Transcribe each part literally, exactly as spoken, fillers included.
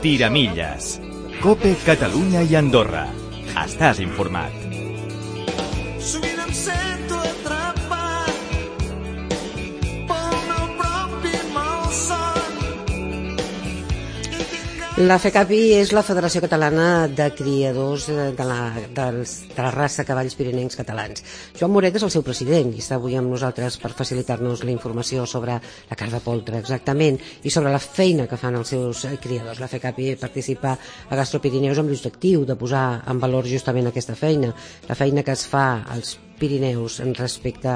Tiramilles. COPE Catalunya i Andorra. Estàs informat. Sovint em sento atrapat pel meu propi malson. La FECAPI és la Federació Catalana de Criadors de la, dels, de la raça cavalls pirinencs catalans. Joan Moret és el seu president i està avui amb nosaltres per facilitar-nos la informació sobre la carn de poltre exactament i sobre la feina que fan els seus criadors. La FECAPI participa a Gastropirineus amb l'objectiu de posar en valor justament aquesta feina, la feina que es fa als Pirineus en respecte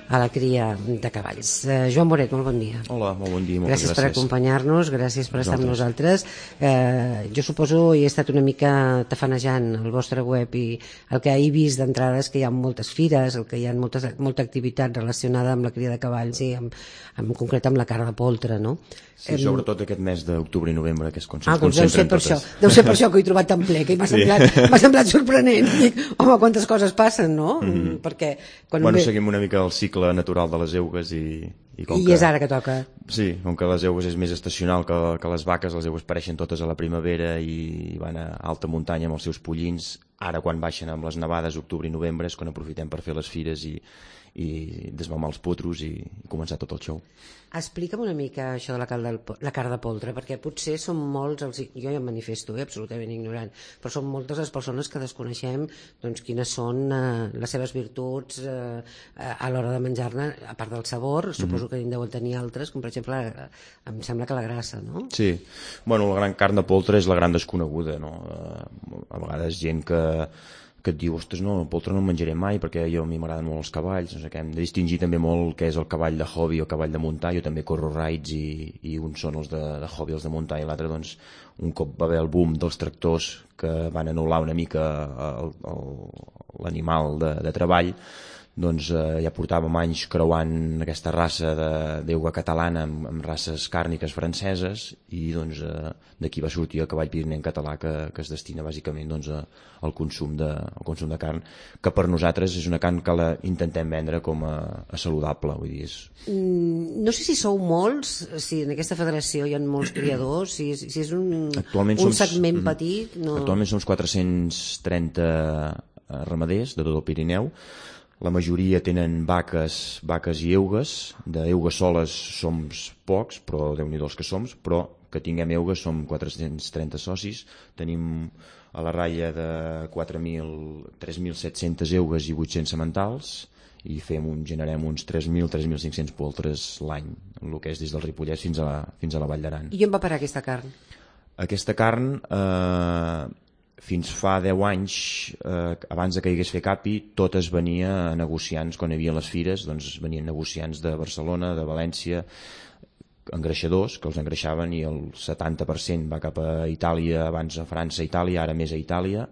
a la cria de cavalls. Eh, Joan Moret, molt bon dia. Hola, molt bon dia, moltes gràcies. Gràcies per acompanyar-nos, gràcies per estar amb nosaltres. Eh, jo suposo, i he estat una mica tafanejant el vostre web i el que he vist d'entrada és que hi ha moltes fires, el que hi ha moltes, molta activitat relacionada amb la cria de cavalls i amb, en concret amb la carn de poltre, no? Sí, sobretot aquest mes d'octubre i novembre, que és quan ah, se'ns concentren per totes. Això. Deu ser per això que ho he trobat tan ple, que m'ha sí. semblat, m'ha semblat sorprenent. Dic, home, quantes coses passen, no? Mm-hmm. Perquè quan bueno, ve... seguim una mica el cicle natural de les eugues i... I, com I que, és ara que toca. Sí, com que les eugues és més estacional que, que les vaques, les eugues apareixen totes a la primavera i van a alta muntanya amb els seus pollins. Ara, quan baixen amb les nevades, octubre i novembre, és quan aprofitem per fer les fires i, i desmamar els potros i, i començar tot el show. Explica'm una mica això de la carn de, la carn de poltre, perquè potser són molts, els, jo ja em manifesto, eh, absolutament ignorant, però són moltes les persones que desconeixem doncs, quines són eh, les seves virtuts eh, a l'hora de menjar-ne, a part del sabor, suposo que en deuen tenir altres, com per exemple, em sembla que la grassa, no? Sí, bueno, la gran carn de poltre és la gran desconeguda, no? A vegades gent que que et diu, ostres, no, el poltre no el menjaré mai perquè jo a mi m'agraden molt els cavalls, no sé què, hem de distingir també molt què és el cavall de hobby o el cavall de muntar. Jo també corro rides i, i uns són els de, de hobby, els de muntar, i l'altre, doncs, un cop va haver el boom dels tractors que van anul·lar una mica l'animal de, de treball, doncs eh, ja portàvem anys creuant aquesta raça d'euga catalana amb, amb races càrniques franceses i doncs eh, d'aquí va sortir el cavall pirinenc català que, que es destina bàsicament doncs, a, al, consum de, al consum de carn, que per nosaltres és una carn que la intentem vendre com a, a saludable, vull dir, és... Mm, no sé si sou molts, si en aquesta federació hi ha molts criadors, si, si és un, un som, segment petit... No... Actualment som quatre-cents trenta ramaders de tot el Pirineu. La majoria tenen vaques, vaques i eugues. D'eugues soles som pocs, però Déu-n'hi-do els que som, però que tinguem eugues som quatre-cents trenta socis. Tenim a la ratlla de quatre mil, tres mil set-cents eugues i vuit-cents sementals i fem un, generem uns tres mil, tres mil cinc-cents poltres l'any, el que és des del Ripollès fins a la, fins a la Vall d'Aran. I on va parar aquesta carn? Aquesta carn... Eh, fins fa deu anys, eh, abans de que hi hagués FECAPI, tot es venia a negociants, quan hi havia les fires, doncs venien negociants de Barcelona, de València, engreixadors, que els engreixaven, i el setanta per cent va cap a Itàlia, abans a França, Itàlia, ara més a Itàlia,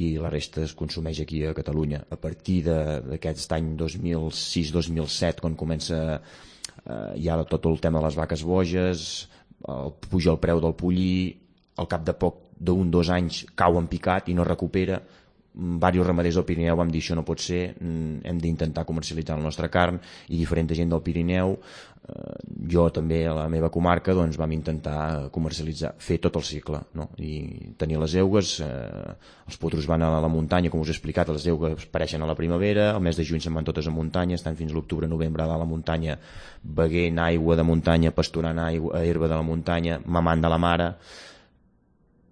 i la resta es consumeix aquí a Catalunya. A partir d'aquest any dos mil sis dos mil set, quan comença eh, ja tot el tema de les vaques boges, el, puja el preu del pollí, al cap de poc d'un dos anys cau en picat i no recupera. Diversos ramaders del Pirineu vam dir això no pot ser, hem d'intentar comercialitzar la nostra carn, i diferent gent del Pirineu, eh, jo també a la meva comarca, doncs vam intentar comercialitzar, fer tot el cicle, no? I tenir les eugues, eh, els potros van a la muntanya, com us he explicat, les eugues apareixen a la primavera, el mes de juny se'n van totes a muntanya, estan fins l'octubre-novembre a la muntanya, beguent aigua de muntanya, pasturant aigua, herba de la muntanya, mamant de la mare,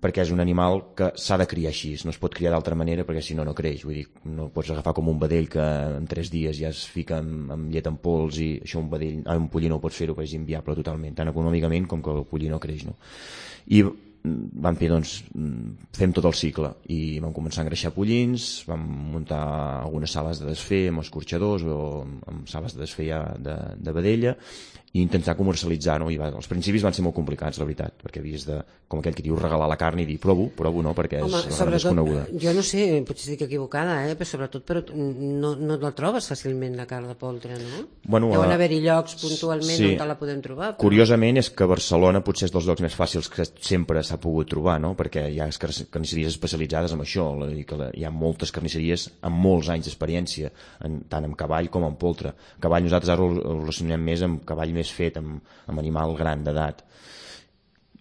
perquè és un animal que s'ha de criar així, no es pot criar d'altra manera perquè si no no creix, vull dir, no pots agafar com un vedell que en tres dies ja es fica amb, amb llet en pols, i això un vedell, ah, un pollí no ho pots fer-ho perquè és inviable totalment, tant econòmicament com que el pollí no creix, no? I vam fer, doncs, fem tot el cicle i vam començar a engreixar pollins, vam muntar algunes sales de desfer amb escorxadors o amb sales de desfer ja de, de vedella, i intentar comercialitzar-ho. I va, els principis van ser molt complicats, la veritat, perquè havies de, com aquell que diu, regalar la carn i dir provo, provo no, perquè Home, és la gran desconeguda. Jo no sé, potser estic equivocada, eh? Però sobretot però no, no la trobes fàcilment, la carn de poltre, no? Bueno, deuen haver-hi llocs puntualment sí, on te la podem trobar. Però... Curiosament és que Barcelona potser és dels llocs més fàcils que sempre s'ha pogut trobar, no? Perquè hi ha carnisseries especialitzades en això, i que hi ha moltes carnisseries amb molts anys d'experiència, tant en cavall com en poltre. Cavall nosaltres ara ho relacionem més amb cavall més fet, amb, amb animal gran d'edat.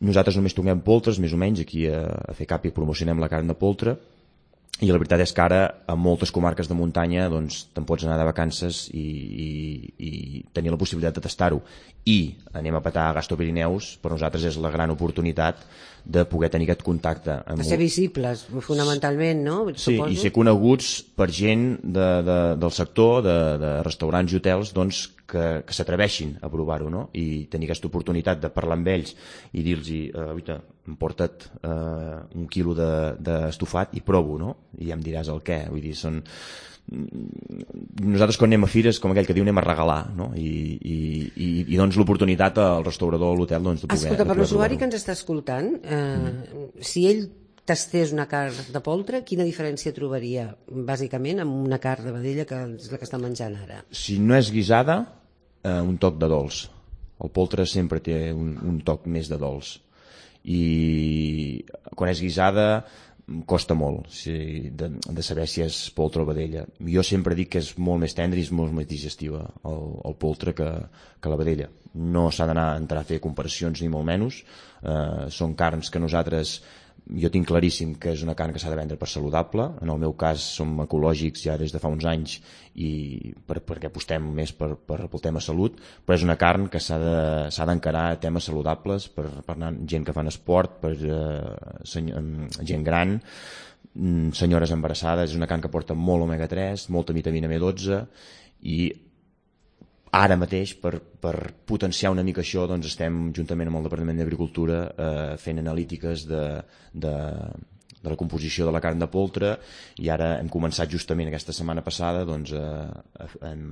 Nosaltres només toquem poltres, més o menys, aquí a, a FECAPI promocionem la carn de poltre, i la veritat és que ara a moltes comarques de muntanya doncs te'n pots anar de vacances i, i, i tenir la possibilitat de tastar-ho. I anem a petar a Gastopirineus, per nosaltres és la gran oportunitat de poder tenir aquest contacte. Amb... De ser visibles, fonamentalment, no? Sí, Suposo. I ser coneguts per gent de, de, del sector, de, de restaurants i hotels, doncs, que, que s'atreveixin a provar-ho, no? I tenir aquesta oportunitat de parlar amb ells i dir-los, eh, oita, em porta't eh, un quilo d'estofat de, i provo, no? I ja em diràs el què. Vull dir, són... Nosaltres quan anem a fires, com aquell que diu, anem a regalar, no? I, i, i, i doncs l'oportunitat al restaurador o a l'hotel doncs, de poder... Escolta, per poder l'usuari provar-ho. que ens està escoltant, eh, mm. si ell tastés una carn de poltre, quina diferència trobaria, bàsicament, amb una carn de vedella que és la que està menjant ara? Si no és guisada, eh, un toc de dolç. El poltre sempre té un, un toc més de dolç. I quan és guisada costa molt si, de, de saber si és poltre o vedella. Jo sempre dic que és molt més tendre i és molt més digestiva el, el poltre que, que la vedella. No s'ha d'anar a entrar a fer comparacions ni molt menys. Eh, són carns que nosaltres, jo tinc claríssim que és una carn que s'ha de vendre per saludable. En el meu cas som ecològics ja des de fa uns anys i per, perquè apostem més per, per el tema salut, però és una carn que s'ha de, s'ha d'encarar a temes saludables per, per gent que fan esport, per eh, senyor, gent gran, senyores embarassades. És una carn que porta molt omega tres, molta vitamina B dotze i ara mateix, per, per potenciar una mica això, doncs estem juntament amb el Departament d'Agricultura eh, fent analítiques de, de, de la composició de la carn de poltre, i ara hem començat justament aquesta setmana passada, doncs eh, hem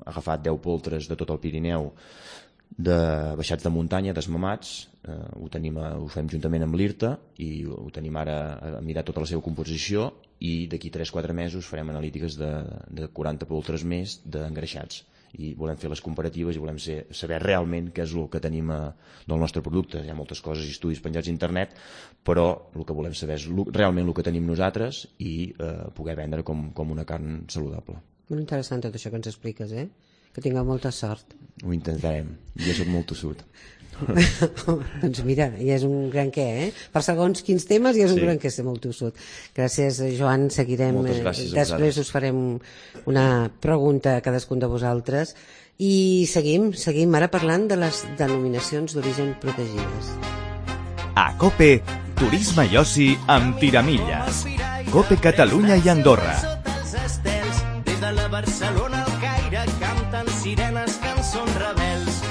agafat deu poltres de tot el Pirineu de baixats de muntanya, desmamats, eh, ho, tenim a, ho fem juntament amb l'I R T A i ho tenim ara a mirar tota la seva composició, i d'aquí tres quatre mesos farem analítiques de, de quaranta poltres més d'engreixats. I volem fer les comparatives i volem ser, saber realment què és el que tenim a, del nostre producte. Hi ha moltes coses i estudis penjats a internet, però el que volem saber és realment el que tenim nosaltres i eh, poder vendre com, com una carn saludable. Molt interessant tot això que ens expliques, eh? Que tingueu molta sort. Ho intentarem. Jo soc molt tossut. Doncs mira, ja és un gran què, eh? Per segons quins temes ja és un sí. gran què ser molt tossut. Gràcies, Joan, seguirem. Moltes gràcies a Després vosaltres. us farem una pregunta a cadascun de vosaltres i seguim, seguim ara parlant de les denominacions d'origen protegides. A COPE, Turisme i Oci amb Tiramilles. COPE Catalunya i Andorra. Des de la Barcelona al Caire canten sirenes, cançons rebels.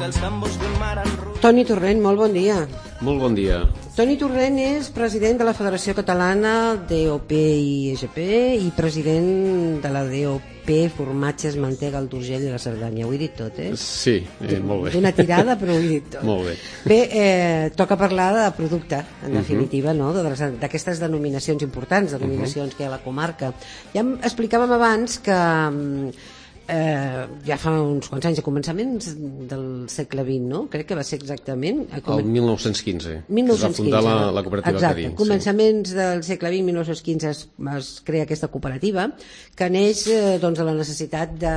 Els tambors d'un mar en ru... Toni Torrent, molt bon dia. Molt bon dia. Toni Torrent és president de la Federació Catalana d'E O P i E G P i president de la D O P Formatges, Mantega, el d'Urgell i la Cerdanya. Ho he dit tot, eh? Sí, eh, molt bé. D'una tirada, però ho he dit tot. Molt bé. Bé, eh, toca parlar de producte, en definitiva, no? D'aquestes denominacions importants, denominacions uh -huh. que hi ha a la comarca. Ja explicàvem abans que eh, ja fa uns quants anys, a començaments del segle vint, no? Crec que va ser exactament... El mil nou-cents quinze. mil nou-cents quinze. Es va fundar la, la cooperativa Exacte. Cadí. Començaments sí. del segle vint, mil nou-cents quinze, es, es crea aquesta cooperativa que neix eh, doncs, de la necessitat de,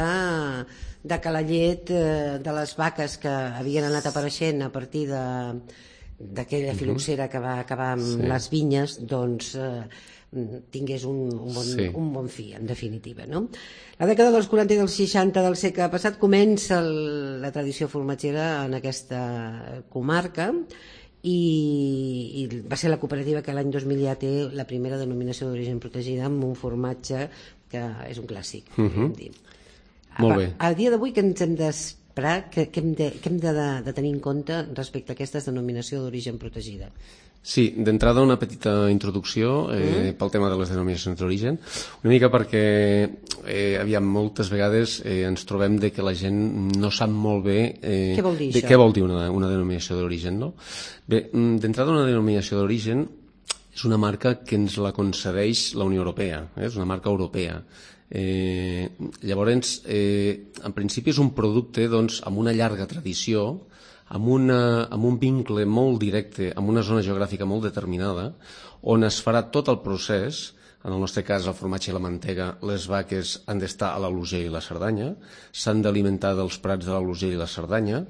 de que la llet eh, de les vaques que havien anat apareixent a partir de d'aquella filoxera que va acabar amb sí. les vinyes, doncs eh, tingués un, un, bon, sí. un bon fi, en definitiva, no? La dècada dels quaranta i dels seixanta del segle passat comença el, la tradició formatgera en aquesta comarca i, i va ser la cooperativa que l'any dos mil ja té la primera denominació d'origen protegida amb un formatge que és un clàssic. Uh-huh. Dir. Molt bé. A, a dia d'avui que ens hem d'esperar, que, que hem, de, que hem de, de tenir en compte respecte a aquesta denominació d'origen protegida? Sí, d'entrada una petita introducció eh, mm. pel tema de les denominacions d'origen, una mica perquè eh, aviam, moltes vegades eh, ens trobem de que la gent no sap molt bé eh, què vol dir de això? Què vol dir una, una denominació d'origen, no? Bé, d'entrada una denominació d'origen és una marca que ens la concedeix la Unió Europea, eh? És una marca europea. Eh, llavors, eh, en principi és un producte doncs, amb una llarga tradició, amb, una, amb un vincle molt directe, amb una zona geogràfica molt determinada, on es farà tot el procés. En el nostre cas, el formatge i la mantega, les vaques han d'estar a l'Alt Urgell i la Cerdanya, s'han d'alimentar dels prats de l'Alt Urgell i la Cerdanya,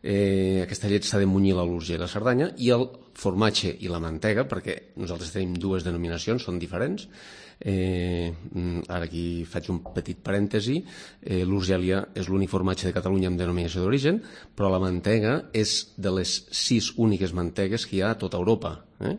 Eh, aquesta llet s'ha de munyir a l'Urgell i la Cerdanya, i el formatge i la mantega, perquè nosaltres tenim dues denominacions, són diferents. Eh, ara aquí faig un petit parèntesi. eh, l'Urgèlia és l'únic formatge de Catalunya amb denominació d'origen, però la mantega és de les sis úniques mantegues que hi ha a tota Europa. Eh?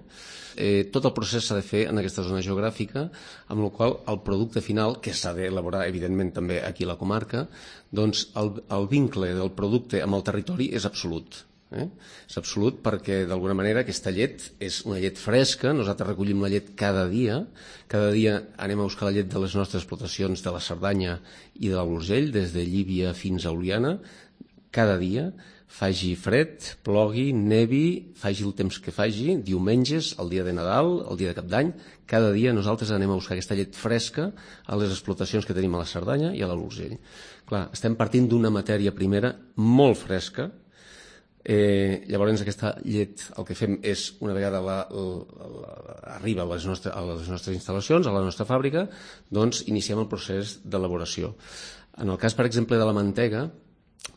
Eh, tot el procés s'ha de fer en aquesta zona geogràfica, amb la qual el producte final, que s'ha d'elaborar evidentment també aquí a la comarca, doncs el, el vincle del producte amb el territori és absolut. Eh? És absolut perquè d'alguna manera aquesta llet és una llet fresca, nosaltres recollim la llet cada dia, cada dia anem a buscar la llet de les nostres explotacions de la Cerdanya i de l'Urgell, des de Llívia fins a Oliana, cada dia, faci fred, plogui, nevi, faci el temps que faci, diumenges, el dia de Nadal, el dia de Cap d'Any, cada dia nosaltres anem a buscar aquesta llet fresca a les explotacions que tenim a la Cerdanya i a l'Urgell. Clar, estem partint d'una matèria primera molt fresca. Eh, llavors aquesta llet el que fem és, una vegada la, la, la, arriba a les, nostres, a les nostres instal·lacions, a la nostra fàbrica, doncs iniciem el procés d'elaboració. En el cas, per exemple, de la mantega,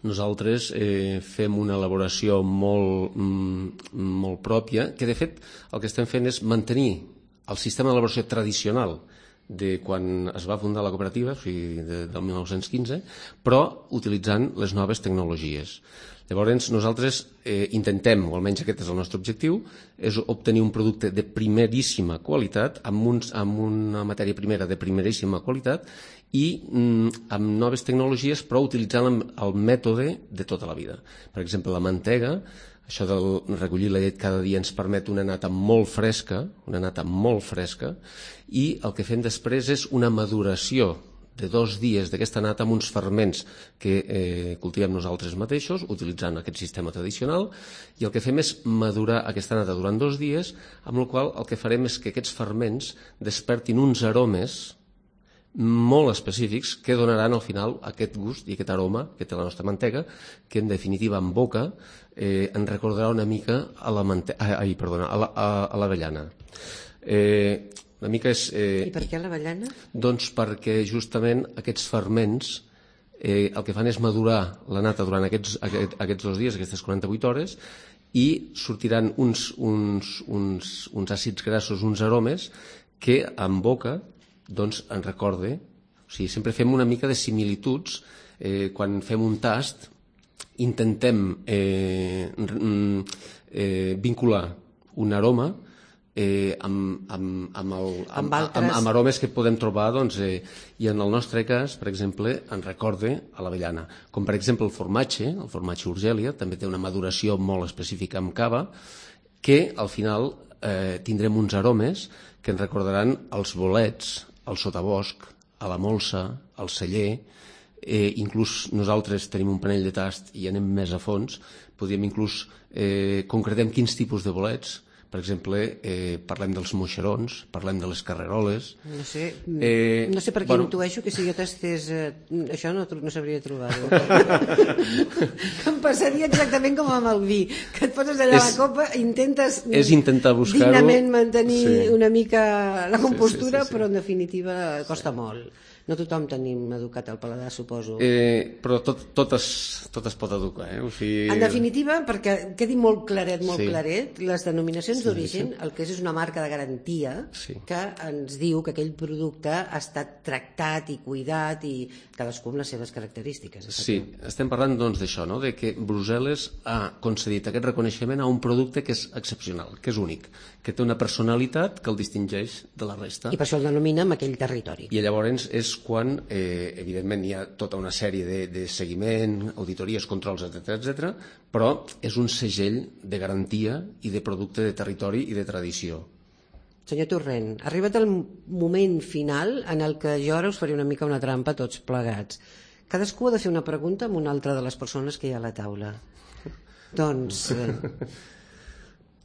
nosaltres eh, fem una elaboració molt, mm, molt pròpia, que de fet el que estem fent és mantenir el sistema d'elaboració tradicional de quan es va fundar la cooperativa, o sigui, de, del mil nou-cents quinze, però utilitzant les noves tecnologies. Llavors nosaltres eh, intentem, o almenys aquest és el nostre objectiu, és obtenir un producte de primeríssima qualitat, amb, uns, amb una matèria primera de primeríssima qualitat i mm, amb noves tecnologies, però utilitzant el mètode de tota la vida. Per exemple, la mantega, això de recollir la llet cada dia ens permet una nata molt fresca, una nata molt fresca, i el que fem després és una maduració de dos dies d'aquesta nata amb uns ferments que eh, cultivem nosaltres mateixos, utilitzant aquest sistema tradicional, i el que fem és madurar aquesta nata durant dos dies, amb el qual el que farem és que aquests ferments despertin uns aromes molt específics que donaran al final aquest gust i aquest aroma que té la nostra mantega, que en definitiva en boca eh, ens recordarà una mica a la mante- ai, perdona, a la, a, a l'avellana. Eh, una mica és... Eh, I per què l'avellana? Doncs perquè justament aquests ferments eh, el que fan és madurar la nata durant aquests, aquest, aquests dos dies, aquestes quaranta-vuit hores, i sortiran uns, uns, uns, uns àcids grassos, uns aromes, que en boca doncs ens recorde, o sigui, sempre fem una mica de similituds, eh, quan fem un tast intentem eh, eh, vincular un aroma eh, amb, amb, amb, el, amb, amb, amb, amb aromes que podem trobar, doncs, eh, i en el nostre cas, per exemple, ens recorde a l'avellana, com per exemple el formatge, el formatge Urgèlia, també té una maduració molt específica amb cava, que al final eh, tindrem uns aromes que ens recordaran els bolets, el sotabosc, a la molsa, al celler, eh, inclús nosaltres tenim un panell de tast i anem més a fons, podríem inclús eh, concretem quins tipus de bolets. Per exemple, eh, parlem dels moixerons, parlem de les carreroles. No sé, eh, no sé per què bueno, intueixo que si jo tastés eh, això no, no sabria trobar-ho. Que em passaria exactament com amb el vi, que et poses allà és, a la copa i intentes és intentar buscar-ho, dignament mantenir sí. una mica la compostura, sí, sí, sí, sí. Però en definitiva costa sí. molt. No tothom tenim educat el paladar, suposo. Eh, però tot, tot, es, tot es pot educar. Eh? O sigui... En definitiva, perquè quedi molt claret, molt sí. claret, les denominacions sí, d'origen, sí. el que és és una marca de garantia sí. que ens diu que aquell producte ha estat tractat i cuidat i cadascú amb les seves característiques. Sí, estem parlant doncs d'això, no? De que Brussel·les ha concedit aquest reconeixement a un producte que és excepcional, que és únic, que té una personalitat que el distingeix de la resta. I per això el denomina en aquell territori. I llavors és quan, eh, evidentment, hi ha tota una sèrie de, de seguiment, auditories, controls, etcètera, etcètera, però és un segell de garantia i de producte de territori i de tradició. Senyor Torrent, ha arribat el moment final en el que jo ara us faré una mica una trampa tots plegats. Cadascú ha de fer una pregunta amb una altra de les persones que hi ha a la taula. Doncs... Eh...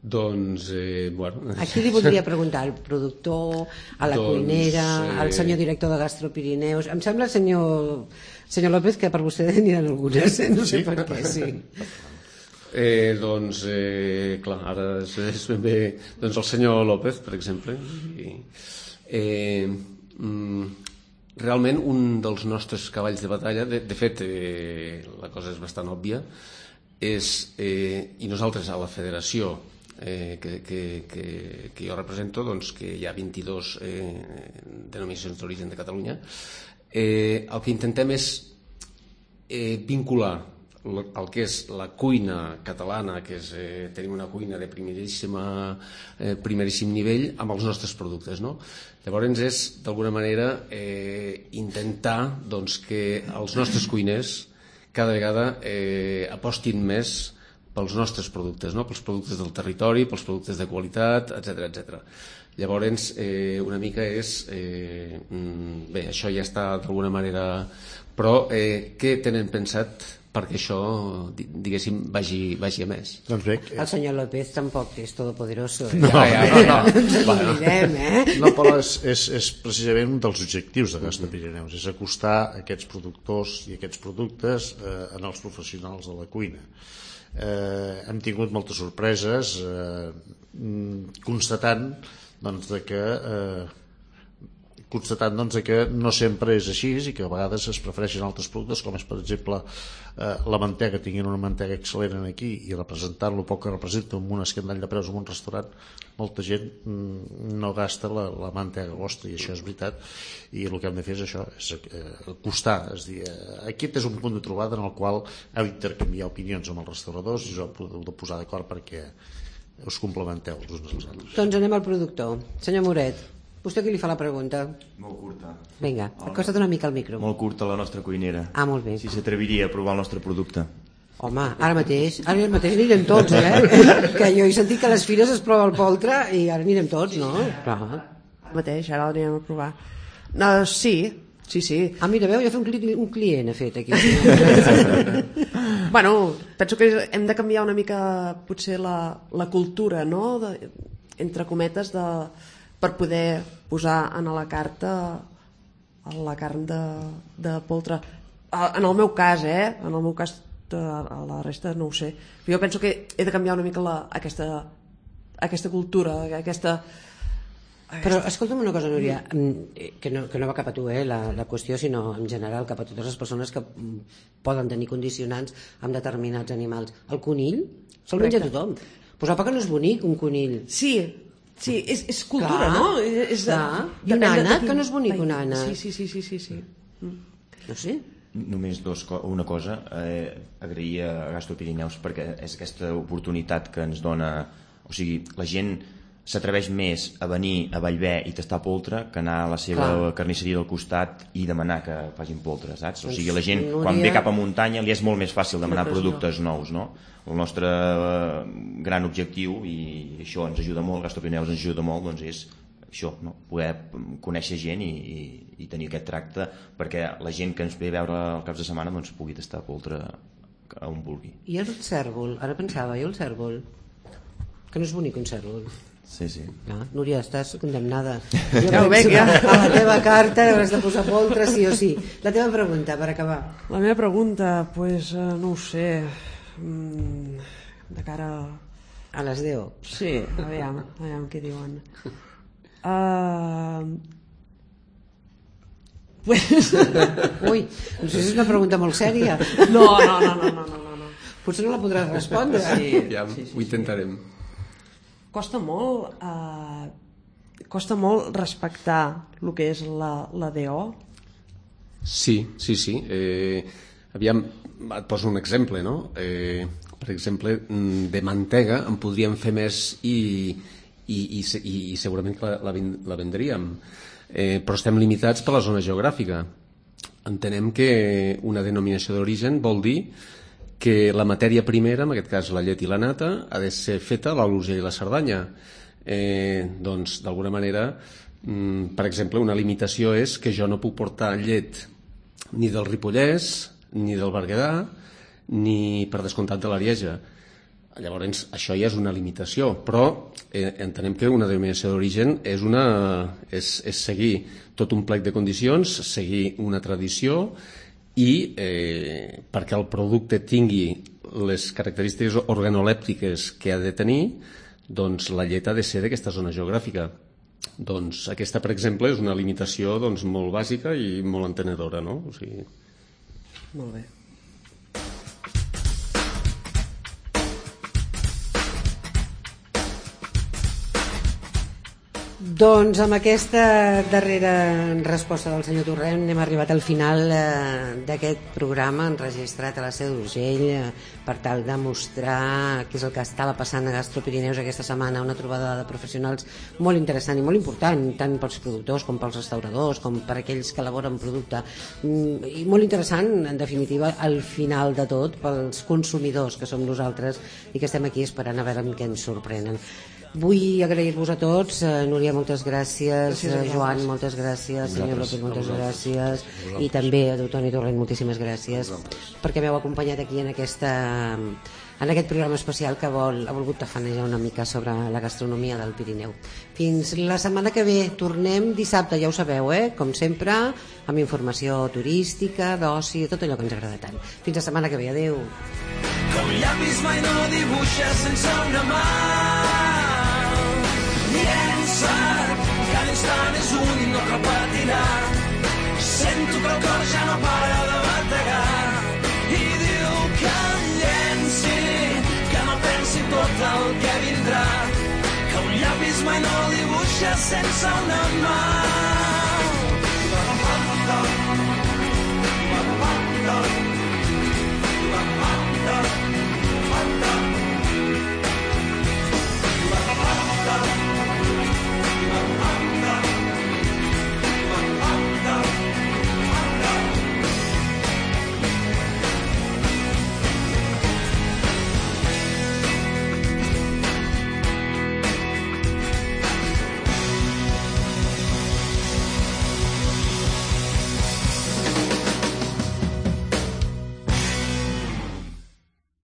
Doncs, eh, bueno... A qui li voldria preguntar? Al productor, a la doncs, cuinera, eh... al senyor director de Gastropirineus? Em sembla, senyor, senyor López, que per vostè n'hi ha algunes, eh? No sé sí? per què, sí. Eh, doncs, eh, clar, ara és, és ben bé... Doncs el senyor López, per exemple. I, eh, mm, realment, un dels nostres cavalls de batalla, de, de fet, eh, la cosa és bastant òbvia, és, eh, i nosaltres a la federació eh, que, que, que, que jo represento, doncs, que hi ha vint-i-dos eh, denominacions d'origen de Catalunya, eh, el que intentem és eh, vincular el que és la cuina catalana, que és, eh, tenim una cuina de primeríssima, eh, primeríssim nivell, amb els nostres productes, no? Llavors és, d'alguna manera, eh, intentar doncs, que els nostres cuiners cada vegada eh, apostin més pels nostres productes, no? Pels productes del territori, pels productes de qualitat, etcètera, etcètera. Llavors, eh, una mica és... Eh, bé, això ja està d'alguna manera... Però eh, què tenen pensat perquè això, diguéssim, vagi, vagi a més? Doncs bé, el senyor López tampoc és todopoderoso. No, ja, ja, ja, ja. No ens oblidem, eh? No, però és, és, és precisament un dels objectius de Gasta Pirineus, és acostar aquests productors i aquests productes eh, en els professionals de la cuina. Eh, hem tingut moltes sorpreses eh, constatant doncs, de que eh, constatant doncs, que no sempre és així i que a vegades es prefereixen altres productes, com és per exemple eh, la mantega. Tinguin una mantega excel·lent aquí i representant-lo poc que representa amb un escandall de preus en un restaurant, molta gent mm, no gasta la, la mantega vostra, i això és veritat, i el que hem de fer és això, és eh, acostar, és dir, eh, aquest és un punt de trobada en el qual heu d'intercanviar opinions amb els restauradors i us heu de posar d'acord perquè us complementeu els uns als altres. Doncs anem al productor. Senyor Moret, vostè qui li fa la pregunta? Molt curta. Vinga, acosta't una mica al micro. Molt curta la nostra cuinera. Ah, molt bé. Si s'atreviria a provar el nostre producte. Home, ara mateix, ara mateix anirem tots, eh? Que jo he sentit que a les fires es prova el poltre i ara anirem tots, no? Clar. Ara mateix, ara l'anirem a provar. No, sí, sí, sí. Ah, mira, veu, ja fa un, cli un client, ha fet aquí. Bueno, penso que hem de canviar una mica potser la, la cultura, no? De, entre cometes, de, per poder posar en la carta la carn de, de poltre. En el meu cas, eh? En el meu cas, a la resta no ho sé. Jo penso que he de canviar una mica la, aquesta, aquesta cultura, aquesta... Però escolta'm una cosa, Núria, que no, que no va cap a tu, eh, la, la qüestió, sinó en general cap a totes les persones que poden tenir condicionants amb determinats animals. El conill se'l menja tothom. Pues apa que no és bonic, un conill. Sí, sí, és, és cultura, clar, no? És de, clar. I un ànec, que no és bonic, un ànec. Sí, sí, sí, sí, sí, sí. No sé. Només dos, una cosa, eh, agrair a Gastro Pirineus perquè és aquesta oportunitat que ens dona, o sigui, la gent s'atreveix més a venir a Bellver i tastar poltre que anar a la seva clar. carnisseria del costat i demanar que facin poltre, saps? O sigui, la gent quan ve cap a muntanya li és molt més fàcil demanar productes nous, no? El nostre gran objectiu, i això ens ajuda molt, Gastro Pirineus ens ajuda molt, doncs és això, no? Poder conèixer gent i, i, i tenir aquest tracte perquè la gent que ens ve a veure els caps de setmana doncs pugui tastar poltre on vulgui. I el cèrvol? Ara pensava, i el cèrvol? Que no és bonic un cèrvol. Sí, sí. No, Núria, estàs condemnada. Jo ja ho veig, ja. A la teva carta hauràs de posar poltre sí o sí. La teva pregunta, per acabar. La meva pregunta, pues, uh, no ho sé, mm, de cara a... A les deu. Sí, aviam, aviam què diuen. Uh... Pues... Ui, no sé si és una pregunta molt sèria. No, no, no, no, no, no, no. Potser no la podràs respondre. Sí, ja, sí, sí, ho intentarem. Costa molt eh, costa molt respectar el que és la, la D O? Sí, sí, sí. Eh, aviam, et poso un exemple, no? Eh, per exemple, de mantega en podríem fer més i, i, i, i, i segurament que la, la, la vendríem. Eh, però estem limitats per la zona geogràfica. Entenem que una denominació d'origen vol dir que la matèria primera, en aquest cas la llet i la nata, ha de ser feta a l'Urgell i la Cerdanya. Eh, doncs, d'alguna manera, mm, per exemple, una limitació és que jo no puc portar llet ni del Ripollès, ni del Berguedà, ni, per descomptat, de l'Arieja. Llavors, això ja és una limitació, però eh, entenem que una denominació d'origen és, una, és, és seguir tot un plec de condicions, seguir una tradició, i eh, perquè el producte tingui les característiques organolèptiques que ha de tenir, doncs la llet ha de ser d'aquesta zona geogràfica. Doncs aquesta, per exemple, és una limitació doncs, molt bàsica i molt entenedora, no? O sigui... Molt bé. Doncs amb aquesta darrera resposta del senyor Torrent hem arribat al final eh, d'aquest programa enregistrat a la Seu d'Urgell eh, per tal de mostrar què és el que estava passant a Gastropirineus aquesta setmana, una trobada de professionals molt interessant i molt important, tant pels productors com pels restauradors, com per aquells que elaboren producte, mm, i molt interessant, en definitiva, al final de tot, pels consumidors que som nosaltres i que estem aquí esperant a veure amb què ens sorprenen. Vull agrair-vos a tots, eh, Núria, moltes gràcies, Gràcies a eh, Joan, vosaltres. moltes gràcies, senyor Vosaltres. López, moltes A vosaltres. gràcies, A vosaltres. i també a Toni Torrent, moltíssimes gràcies, perquè m'heu acompanyat aquí en aquesta en aquest programa especial que vol, ha volgut tafanejar una mica sobre la gastronomia del Pirineu. Fins la setmana que ve, tornem dissabte, ja ho sabeu, eh? Com sempre, amb informació turística, d'oci, tot allò que ens agrada tant. Fins la setmana que ve, adeu. Que un llapis mai no dibuixa sense una mà. Llença, cada instant és un i no repetirà. Sento que el cor ja no para de bategar i diu que em llenci, que no pensi tot el que vindrà, que un llapis mai no dibuixa sense una mà.